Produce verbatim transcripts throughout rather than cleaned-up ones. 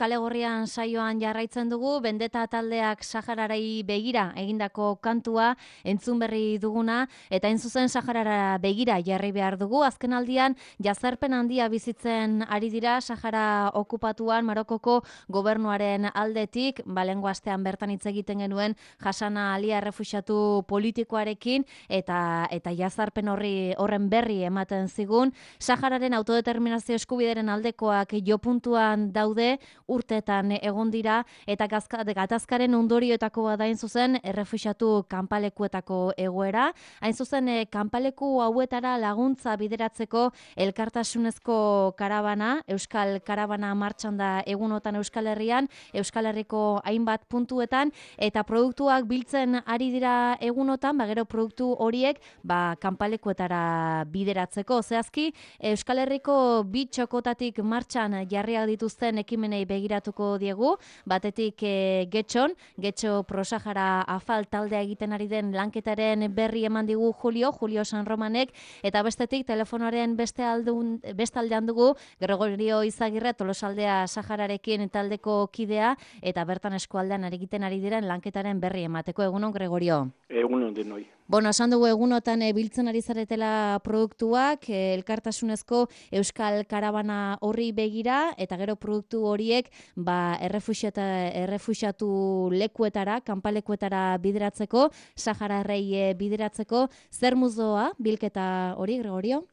Kale Gorrian saioan jarraitzen dugu, Bendeta taldeak Saharari begira egindako kantua entzun berri duguna, eta hain zuzen Saharara begira jarri behar dugu. Azken aldian, jazarpen handia bizitzen ari dira Sahara okupatuan Marokoko gobernuaren aldetik, balengo astean bertan hitz egiten genuen Hasana Alia errefuxiatu politikoarekin, eta eta jazarpen horri horren berri ematen zigun. Sahararen autodeterminazio eskubideren aldekoak jo puntuan daude, urteetan egon dira, eta gatazkaren ondorioetako bada hain zuzen errefuxiatu kanpalekuetako egoera. Hain zuzen kanpaleku hauetara laguntza bideratzeko elkartasunezko karabana, Euskal Karabana martxan da egunotan Euskal Herrian, Euskal Herriko hainbat puntuetan, eta produktuak biltzen ari dira egunotan, ba gero produktu horiek ba kanpalekuetara bideratzeko. Zehazki, Euskal Herriko bi txokotatik martxan jarriak dituzten ekimenei begiratuko diegu, batetik e, Getxon, Getxo Prosahara Afal taldea egiten ari den lanketaren berri eman digu Julio, Julio San Romanek, eta bestetik telefonoaren beste aldun, bestaldean dugu Gregorio Izagirre, Tolosaldea Sahararekin taldeko kidea, eta bertan eskualdean ari egiten ari diren lanketaren berri emateko. Egunon, Gregorio? Egunon denoi. Bueno, esan dugu egunotan e, biltzen ari zaretela produktuak, e, elkartasunezko Euskal Karabana horri begira, eta gero produktu horiek ba, errefuxiatu lekuetara, kanpalekuetara bideratzeko, Sahararrei e, bideratzeko. Zer muzoa bilketa hori, Gregorio?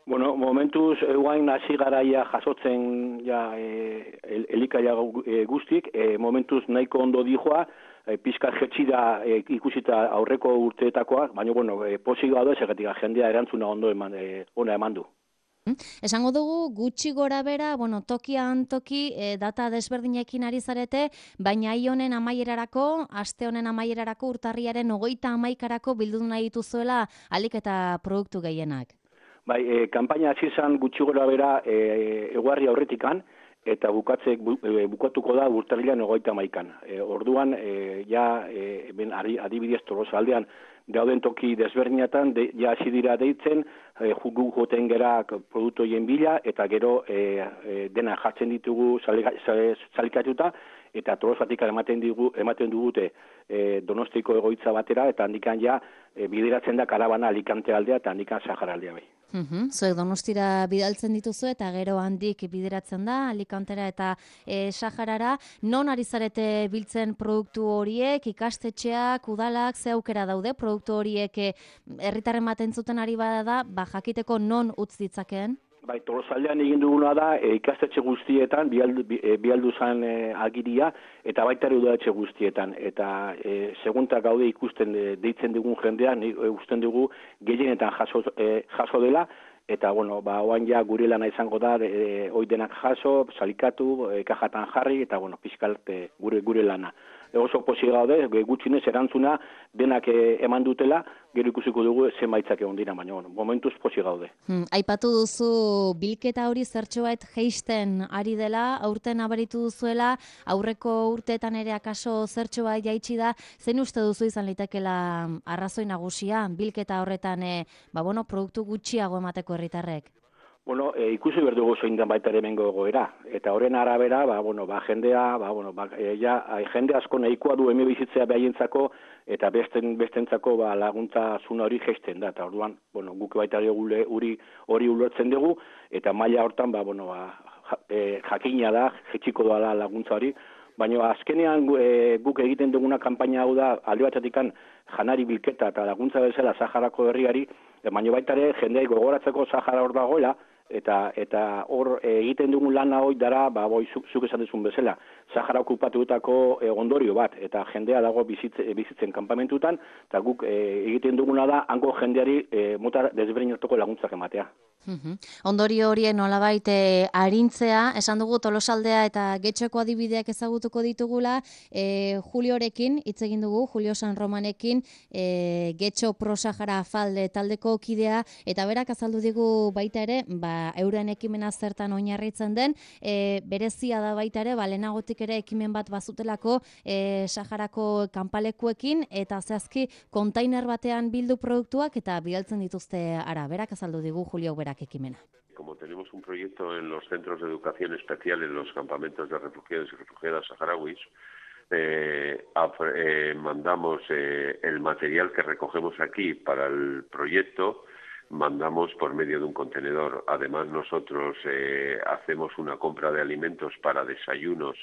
Bueno, momentuz, eguain hasi garaia jasotzen ja, e, el, elikaia guztik, e, momentuz nahiko ondo dijoa, e, pizka jetxida e, ikusita aurreko urteetakoak, baina, bueno, e, posik gaude, segatik jendea erantzuna ondo eman, e, ona eman du. Esango dugu, gutxi gora bera, bueno, tokian toki e, data desberdinekin ari zarete, baina hi honen amaierarako, aste honen amaierarako, urtarriaren hogeita amaikarako bildu nahi dituzuela alik eta produktu gehienak. Bai, e, kampaina hasi izan gutxi gora bera e, eguarri aurretikan, eta bukatzek bu, e, bukatuko da urtarrilean hogeita amaikan. E, orduan, e, ja, e, ben, adibidez Tolosaldean dauden toki desberdinetan, de, ja hasi dira deitzen, e, jugu joten gera produktoien bila, eta gero e, e, dena jartzen ditugu salikatuta, eta Tolosatik ematen digu ematen dugute e, Donostiko egoitza batera, eta handikan ja e, bideratzen da Karabana Alicante aldea eta handikan Sahara aldea bai. Uhum, Zuek Donostira bidaltzen dituzu eta gero handik bideratzen da Alicantera eta e, Saharara. Non ari zarete biltzen produktu horiek, ikastetxeak, udalak, ze aukera daude produktu horiek herritarren baten zuten ari bada da, ba jakiteko non utz ditzakeen? Bai, Tolosaldean egin duguna da e, ikastetxe guztietan, bialdu, e, bialdu zan e, agiria, eta baita ere udaletxe guztietan. Eta e, segunta gaude ikusten e, deitzen dugun jendean, e, usten dugu gehienetan jaso, e, jaso dela, eta, bueno, ba, oan ja gure lana izango da, e, oidenak jaso, salikatu, e, kajatan jarri, eta, bueno, pixkalt e, gure, gure lana. E, oso posi gaude, gutxinez erantzuna denak e, eman dutela, gero ikusiko dugu zenbaitzak egon dira, baina bueno, momentuz posi gaude. Hmm, aipatu duzu bilketa hori zertxobait jeisten ari dela, aurten abaritu duzuela, aurreko urteetan ere akaso zertxobait jaitsi da, zen uste duzu izan litekela arrazoi nagusia, bilketa horretan e, ba, bueno, produktu gutxiago emateko herritarrek? Bueno, e, ikusi behar dugu zoin den baita ere mengo egoera. Eta horren arabera, ba, bueno, ba, jendea, ba, bueno, ba, e, ja, jende asko nahikoa du eme bizitzea behaientzako, eta besten, bestentzako ba, laguntza zuna hori gesten da. Eta orduan, bueno, guk baita ere hori hori ulertzen dugu, eta maila hortan, ba, bueno, ba, e, jakina da, jetxiko da laguntza hori, baina azkenean e, guk egiten duguna kanpaina hau da, alde batetikan janari bilketa eta laguntza bezala Saharako herriari, e, baina baita ere jendeai gogoratzeko Sahara hor dagoela, eta eta hor e, egiten dugun lana hoi dara, ba, boi, zuk, zuk esan duzun bezala, Sahara okupatutako e, ondorio bat, eta jendea dago bizitz, bizitzen kanpamentutan, eta guk e, egiten duguna da, hango jendeari e, mota desberdinetako laguntzak ematea. Uhum. Ondorio horien nolabait e, arintzea, esan dugu Tolosaldea eta Getxoko adibideak ezagutuko ditugula, e, Juliorekin hitz egin dugu, Julio San Romanekin, e, Getxo Prosahara Afalde taldeko kidea, eta berak azaldu digu baita ere, ba, euren ekimena zertan oinarritzen den, e, berezia da baita ere, ba, lehenagotik ere ekimen bat bazutelako e, Saharako kanpalekuekin, eta zehazki kontainer batean bildu produktuak eta bidaltzen dituzte ara, berak azaldu digu Julio berak. berak ekimena. Como tenemos un proyecto en los centros de educación especial en los campamentos de refugiados y refugiadas saharauis, eh, eh, mandamos eh, el material que recogemos aquí para el proyecto, mandamos por medio de un contenedor. Además, nosotros eh, hacemos una compra de alimentos para desayunos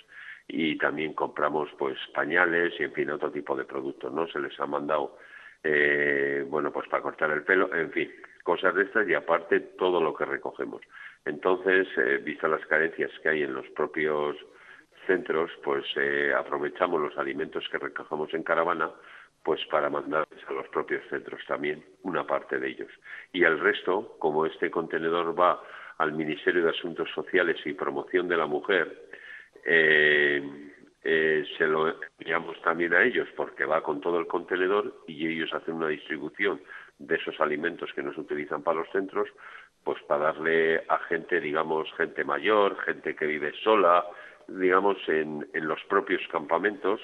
y también compramos pues pañales y, en fin, otro tipo de productos, ¿no? Se les ha mandado, eh, bueno, pues para cortar el pelo, en fin, cosas de estas y aparte todo lo que recogemos. Entonces, eh, vistas las carencias que hay en los propios centros, pues eh, aprovechamos los alimentos que recogemos en caravana pues para mandarles a los propios centros también, una parte de ellos. Y el resto, como este contenedor va al Ministerio de Asuntos Sociales y Promoción de la Mujer, eh, eh, se lo enviamos también a ellos porque va con todo el contenedor y ellos hacen una distribución de esos alimentos que no se utilizan para los centros, pues para darle a gente, digamos, gente mayor, gente que vive sola, digamos, en, en los propios campamentos,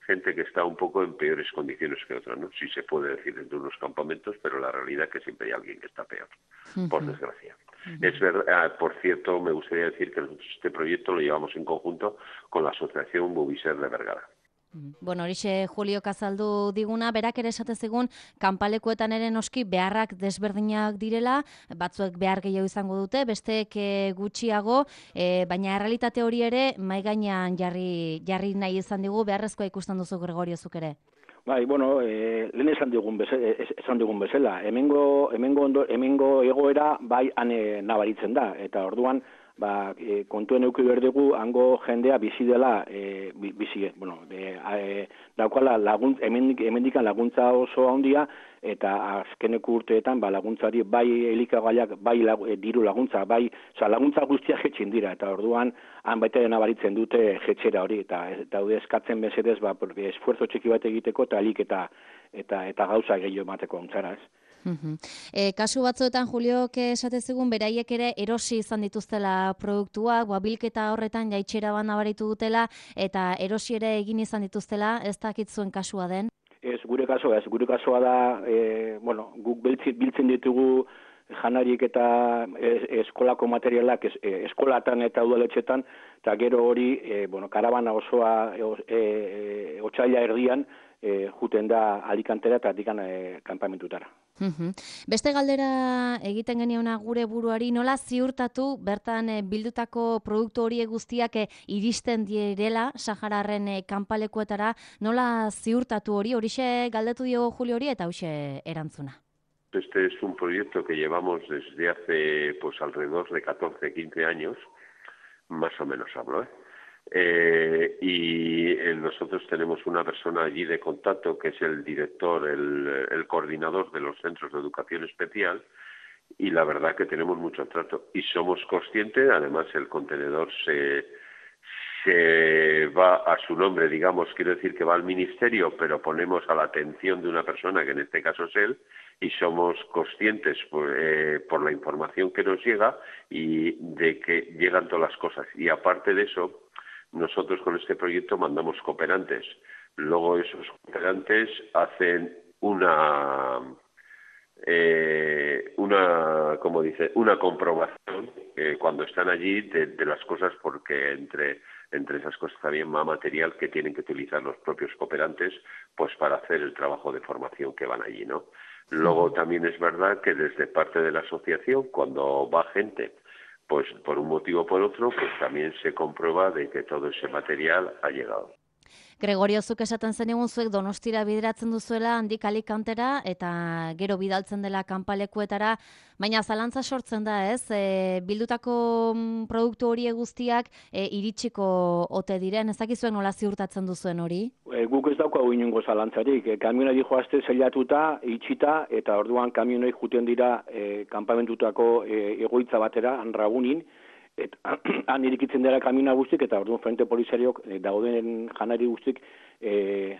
gente que está un poco en peores condiciones que otras, ¿no? Sí se puede decir dentro de unos campamentos, pero la realidad es que siempre hay alguien que está peor, uh-huh. por desgracia. Uh-huh. Es verdad, por cierto, me gustaría decir que nosotros este proyecto lo llevamos en conjunto con la Asociación Bubiser de Bergara. Bueno, horixe Julio azaldu diguna, berak ere esate zigun kanpalekuetan ere noski beharrak desberdinak direla, batzuek behar gehiago izango dute, besteek gutxiago, e, baina errealitate hori ere mai gainean jarri jarri nahi izan digu, beharrezkoa ikusten duzu Gregorio zuk ere. Bai, bueno, eh, lehen esan digun bezala, esan digun bezala, hemengo hemengo ondo, hemengo egoera bai ane nabaritzen da eta orduan ba, e, kontuen eduki behar dugu, hango jendea bizi dela, e, bizi, bueno, e, e, daukala laguntza, hemendik, hemendikan laguntza oso handia, eta azkeneko urteetan ba, laguntzari bai elikagaiak, bai lag, e, diru laguntza, bai, oza, laguntza guztiak jetxin dira, eta orduan han baita nabaritzen dute jetxera hori, eta daude eskatzen bezedez, ba, esfuerzo txiki bat egiteko, eta alik eta, eta, eta gauza gehiago emateko ontzara, ez? Uh-huh. E, kasu batzuetan, Julio, esate zigun, beraiek ere erosi izan dituztela produktuak, bilketa horretan jaitxera ban nabaritu dutela, eta erosi ere egin izan dituztela, ez dakit zuen kasua den? Ez, gure kasua, ez, gure kasua da, e, bueno, guk biltzen ditugu janariek eta eskolako materialak es, e, eskolatan eta udaletxetan, eta gero hori, e, bueno, karabana osoa e, e, otsaila erdian, e, juten da Alicantera eta adikan e, kanpamentutara. Uhum. Beste galdera egiten geniona gure buruari, nola ziurtatu bertan e, bildutako produktu horiek guztiak e, iristen direla Sahararren e, kanpalekuetara, nola ziurtatu hori, horixe galdetu dio Julio hori eta hauxe erantzuna. Este es un proyecto que llevamos desde hace pues alrededor de catorce, quince años, más o menos hablo, ¿eh? Eh, y eh, nosotros tenemos una persona allí de contacto que es el director, el, el coordinador de los centros de educación especial, y la verdad que tenemos mucho trato y somos conscientes, además el contenedor se, se va a su nombre, digamos, quiero decir que va al ministerio, pero ponemos a la atención de una persona, que en este caso es él, y somos conscientes por, eh, por la información que nos llega y de que llegan todas las cosas. Y aparte de eso, nosotros con este proyecto mandamos cooperantes. Luego esos cooperantes hacen una, eh, una, como dice, una comprobación eh, cuando están allí de, de las cosas, porque entre entre esas cosas también va material que tienen que utilizar los propios cooperantes, pues para hacer el trabajo de formación que van allí, ¿no? Luego también es verdad que desde parte de la asociación, cuando va gente, pues por un motivo o por otro, pues también se comprueba de que todo ese material ha llegado. Gregorio, zuk esaten zen egun zuek Donostira bideratzen duzuela handik Alicantera eta gero bidaltzen dela kanpalekuetara, baina zalantza sortzen da, ez? E, bildutako produktu horiek guztiak e, iritsiko ote diren, ez dakizuen nola ziurtatzen duzuen hori? E, guk ez daukagu inongo zalantzarik, e, kamionari joazte zeilatuta, itxita, eta orduan kamionei juten dira e, kanpamentutako e, egoitza batera, Anragunin, eta han irikitzen dira kamina guztik, eta orduan frente polizariok e, dauden janari guztik e,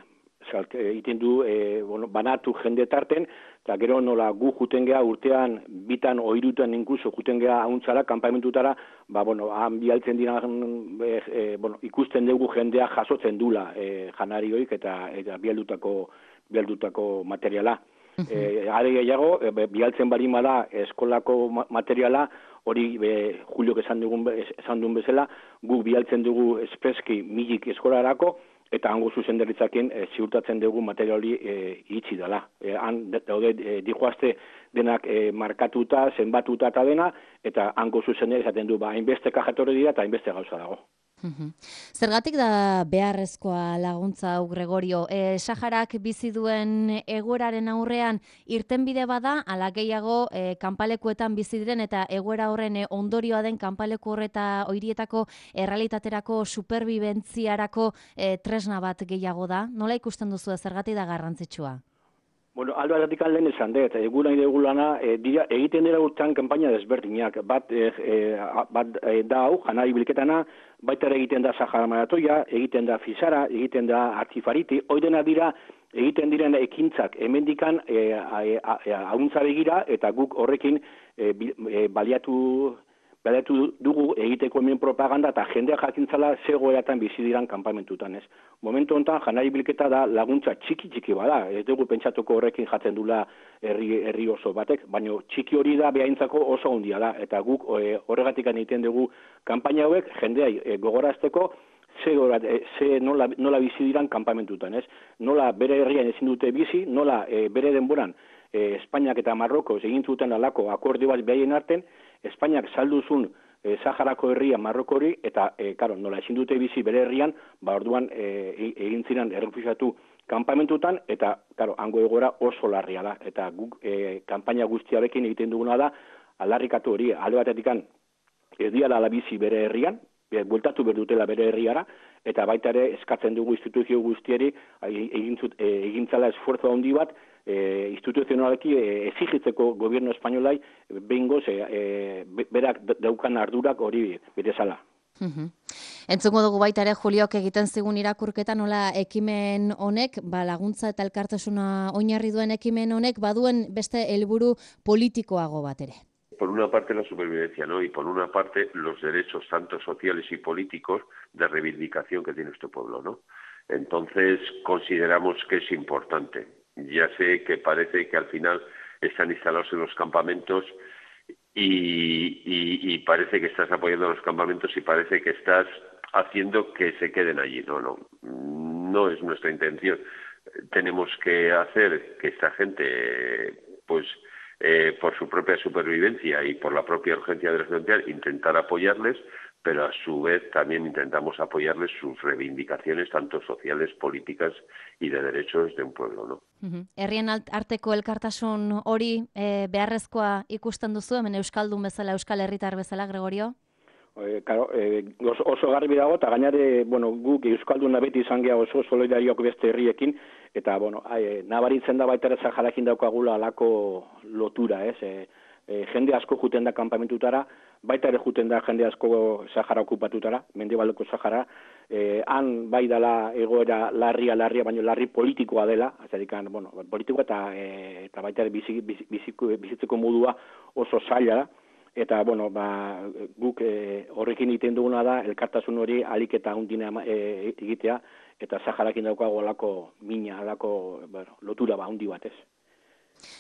iten du e, bueno, banatu jende tarten, eta gero nola gu juten geha urtean bitan oirutan inkluso juten geha hauntzara, kanpamentutara, ba, bueno, han bialtzen dira e, e, bueno, ikusten dugu jendea jasotzen dula e, janarioik eta, eta bialdutako, bialdutako materiala. E, are gehiago, e, bialtzen barima da eskolako materiala, hori be, Juliok esan dugun esan duen bezala, guk bialtzen dugu espreski milik eskolarako, eta hango zuzendaritzakin e, ziurtatzen dugu material hori e, itxi dela. E, han daude e, dijoazte denak e, markatuta, zenbatuta eta dena, eta hango zuzendaritza esaten du, ba, hainbeste kajatorri dira eta hainbeste gauza dago. Zergatik da beharrezkoa laguntza hau, Gregorio? E, Saharak bizi duen egoeraren aurrean irtenbide bada, ala gehiago e, kanpalekuetan bizi diren eta egoera horren e, ondorioa den kanpaleku horreta horietako errealitaterako superbibentziarako e, tresna bat gehiago da? Nola ikusten duzu zergatik da garrantzitsua? Bueno, aldo aldatik lehen esan dut, egula nahi dugu lana, e, dira, egiten dira urtean kanpaina desberdinak. Bat, e, e, bat e, da hau, janari bilketana, baita egiten da Sahara Maratoia, egiten da Fisara, egiten da Artifariti, oidena dira egiten diren ekintzak hemendikan e, hauntza begira, eta guk horrekin e, e, baliatu... Baliatu dugu egiteko hemen propaganda eta jendea jakintzala zegoeratan bizi diran kanpamentutan, ez. Momentu honetan janari bilketa da laguntza txiki-txiki bada, ez dugu pentsatuko horrekin jatzen dula herri, herri oso batek, baina txiki hori da behaintzako oso handia da, eta guk e, horregatik egiten dugu kanpaina hauek jendea e, gogorazteko ze, e, ze nola, nola bizi diran kanpamentutan, ez. Nola bere herrian ezin dute bizi, nola e, bere denboran e, Espainiak eta Marroko egin zuten alako akordio bat behaien arten, Espainiak salduzun e, Saharako herria Marrokori eta e, karo, nola ezin dute bizi bere herrian, ba orduan e, egin ziren errefuxiatu kanpamentutan eta karo, hango egoera oso larria da eta guk e, kanpaina guztiarekin egiten duguna da aldarrikatu hori alde batetikan ez diala la bizi bere herrian, e, bueltatu berdutela bere herriara eta baita ere eskatzen dugu instituzio guztieri egin zut, e, egintzala esfuerzo handi bat E, instituzionaleki e, exigitzeko gobierno espainolai behingoz e, e, berak daukan ardurak hori betezala. Uhum. Entzungo dugu baita ere Juliok egiten zigun irakurketa nola ekimen honek, ba, laguntza eta elkartasuna oinarri duen ekimen honek baduen beste helburu politikoago bat ere. Por una parte la supervivencia, ¿no? Y por una parte los derechos tanto sociales y políticos de reivindicación que tiene este pueblo, ¿no? Entonces consideramos que es importante. Ya sé que parece que al final están instalados en los campamentos y, y, y parece que estás apoyando a los campamentos y parece que estás haciendo que se queden allí. No, no, no es nuestra intención. Tenemos que hacer que esta gente, pues, eh, por su propia supervivencia y por la propia urgencia de la sociedad, intentar apoyarles, pero a su vez también intentamos apoyarles sus reivindicaciones, tanto sociales, políticas y de derechos de un pueblo, ¿no? Herrien arteko elkartasun hori e, beharrezkoa ikusten duzu, hemen Euskaldun bezala, Euskal Herritar bezala, Gregorio? E, claro, e, oso, oso garbi dago, eta gainare, bueno, guk Euskalduna beti izan geha oso solidariok beste herriekin, eta, bueno, e, nabaritzen da baita ere Saharakin daukagula alako lotura, ez? E, e, jende asko juten da kanpamentutara, baita ere juten da jende asko Sahara okupatutara, mendebaldeko Sahara, eh, han bai dela egoera larria, larria, baina larri politikoa dela, azerikan, bueno, politikoa eta, e, eta baita ere bizi, bizi, bizitzeko modua oso zaila da, eta, bueno, ba, guk e, horrekin egiten duguna da, elkartasun hori alik eta hundina e, egitea, eta Saharakin daukago alako mina, alako, bueno, lotura ba, hundi batez.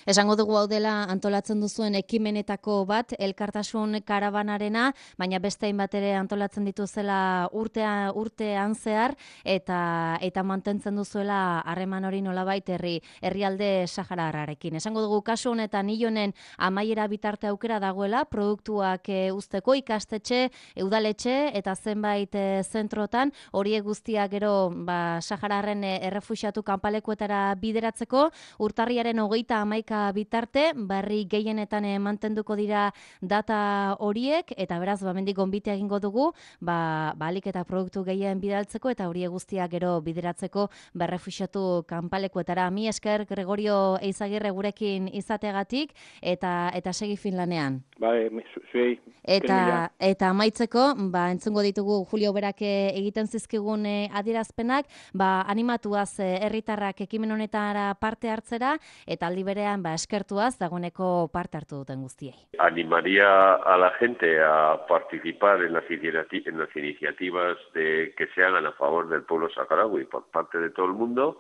Esango dugu hau dela antolatzen duzuen ekimenetako bat, elkartasun karabanarena, baina beste hainbat ere antolatzen dituzela urtea, urtean zehar, eta eta mantentzen duzuela harreman hori nolabait herri herrialde sahararrarekin. Esango dugu kasu honetan Ilonen amaiera bitarte aukera dagoela, produktuak e, uzteko ikastetxe, udaletxe eta zenbait e, zentrotan, horiek guztiak gero ba, sahararren e, errefuxiatu kanpalekuetara bideratzeko, urtarriaren hogeita hamaika bitarte, barri gehienetan eh, mantenduko dira data horiek, eta beraz, ba, mendik gonbite egingo dugu, ba, balik eta produktu gehien bidaltzeko, eta horiek guztiak gero bideratzeko berrefuxiatu kanpalekuetara. Mi esker, Gregorio Eizagirre gurekin izateagatik, eta eta segi Finlanean. Bai, zuei. Eta, eta amaitzeko, ba, entzungo ditugu Julio berak egiten zizkigun eh, adierazpenak, ba, animatuaz eh, herritarrak ekimen honetara parte hartzera, eta aldi berean ba, eskertuaz dagoeneko parte hartu duten guztiei. Animaría a la gente a participar en las, en las iniciativas de, que se hagan a favor del pueblo saharaui por parte de todo el mundo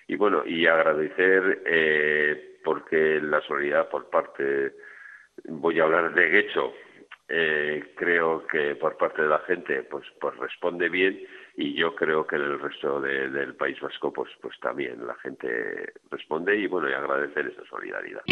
y bueno, y agradecer eh, porque la solidaridad por parte, voy a hablar de Guecho, eh, creo que por parte de la gente pues pues responde bien, y yo creo que en el resto de, del País Vasco pues pues también la gente responde y bueno, y agradecen esa solidaridad.